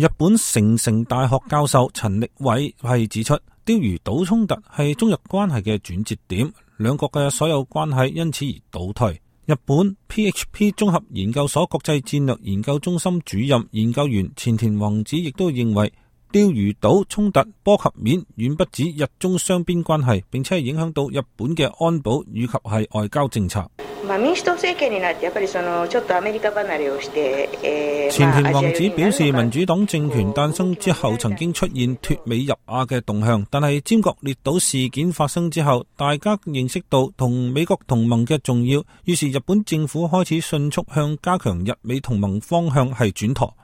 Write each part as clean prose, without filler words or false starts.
日本成城大學教授陳力偉係指出，釣魚島衝突係中日關係嘅轉折點，兩國嘅所有關係因此而倒退。日本 PHP 綜合研究所國際戰略研究中心主任研究員前田宏子亦都認為，釣魚島衝突波及面遠不止日中雙邊關係，並且係影響到日本嘅安保以及係外交政策。前田宏子表示，民主黨政權誕生之後曾經出現脫美入亞嘅動向，但係尖閣列島事件發生之後，大家認識到同美國同盟嘅重要，於是日本政府開始迅速向加強日美同盟方向係轉舵。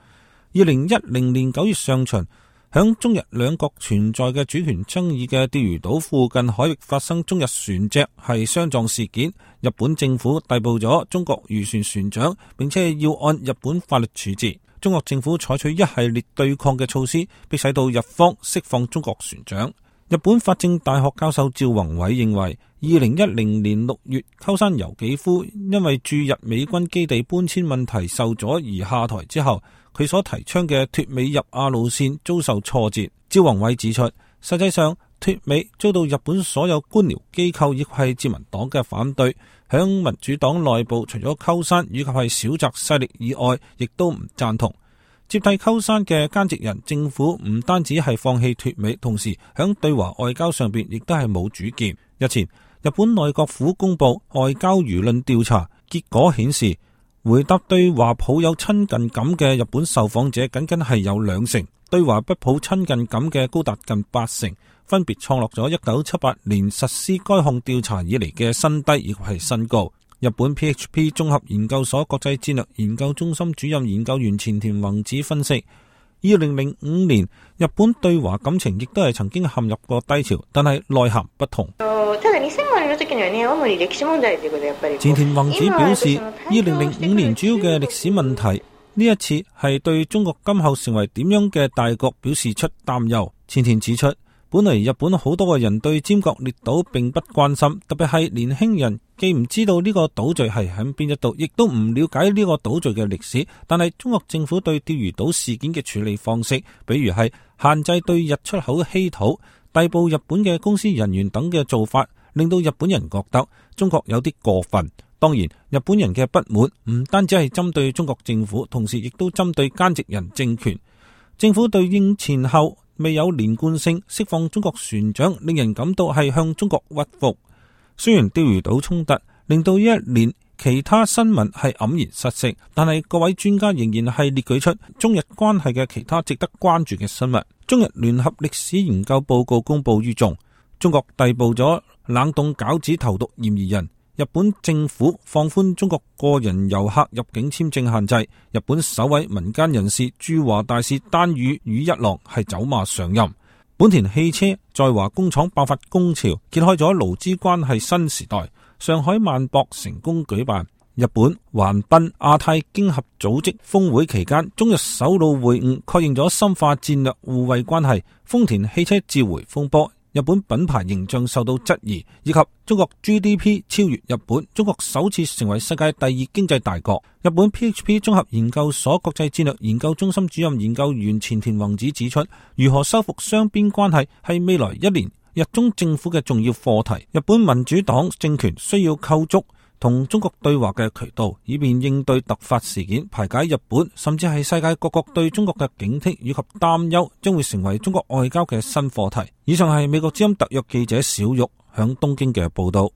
2010年9月上旬，響中日兩國存在嘅主權爭議嘅釣魚島附近海域發生中日船隻係相撞事件，日本政府逮捕咗中國漁船船長，並且要按日本法律處置。中國政府採取一系列對抗嘅措施，迫使到日方釋放中國船長。日本法政大學教授趙宏偉認為，2010年6月鳩山由紀夫因為駐日美軍基地搬遷問題受阻而下台之後，佢所提倡嘅脫美入亞路線遭受挫折。趙宏偉指出，實際上脫美遭到日本所有官僚機構亦係自民黨嘅反對，響民主黨內部除咗鳩山以及係小澤勢力以外，亦都唔贊同。接替鳩山嘅菅直人政府唔單止係放棄脫美，同時響對華外交上邊亦都係冇主見。日前，日本內閣府公布外交輿論調查結果顯示，回答對華抱有親近感嘅日本受訪者僅僅係有2成，對華不抱親近感嘅高達近8成，分別創落咗1978年實施該項調查以嚟嘅新低亦係新高。日本 PHP 綜合研究所國際戰略研究中心主任研究員前田宏子分析，2005年日本對華感情亦都係曾經陷入過低潮，但係內涵不同。前田宏子表示，2005年主要嘅歷史問題，呢一次係對中國今後成為點樣嘅大國表示出擔憂。前田指出，本嚟日本好多個人對尖閣列島並不關心，特別係年輕人既唔知道呢個島嶼係喺邊一度，亦都唔了解呢個島嶼嘅歷史。但係中國政府對釣魚島事件嘅處理方式，比如係限制對日出口稀土、逮捕日本嘅公司人員等嘅做法，令到日本人覺得中國有啲過分。當然，日本人嘅不滿唔單止係針對中國政府，同時亦都針對菅直人政權。政府對應前後未有連貫性釋放中國船長，令人感到係向中國屈服。雖然釣魚島衝突令到一年其他新聞係黯然失色，但係各位專家仍然係列舉出中日關係嘅其他值得關注嘅新聞。中日聯合歷史研究報告公布於眾，中國逮捕咗冷凍餃子投毒嫌疑人。日本政府放寬中國個人遊客入境簽證限制。日本首位民間人士駐華大使丹羽羽一郎係走馬上任。本田汽車在華工廠爆發工潮，揭開咗勞資關係新時代。上海萬博成功舉辦。日本橫濱亞太經合組織峰會期間，中日首腦會晤，確認咗深化戰略互惠關係。豐田汽車召回風波，日本品牌形象受到質疑，以及中國 GDP 超越日本，中國首次成為世界第2經濟大國。日本 PHP 綜合研究所國際戰略研究中心主任研究員前田宏子指出，如何修復雙邊關係係未來1年日中政府嘅重要課題。日本民主黨政權需要構築同中國對話嘅渠道，以便應對突發事件，排解日本甚至係世界各國對中國嘅警惕以及擔憂，將會成為中國外交嘅新課題。以上係美國之音特約記者小玉響東京嘅報道。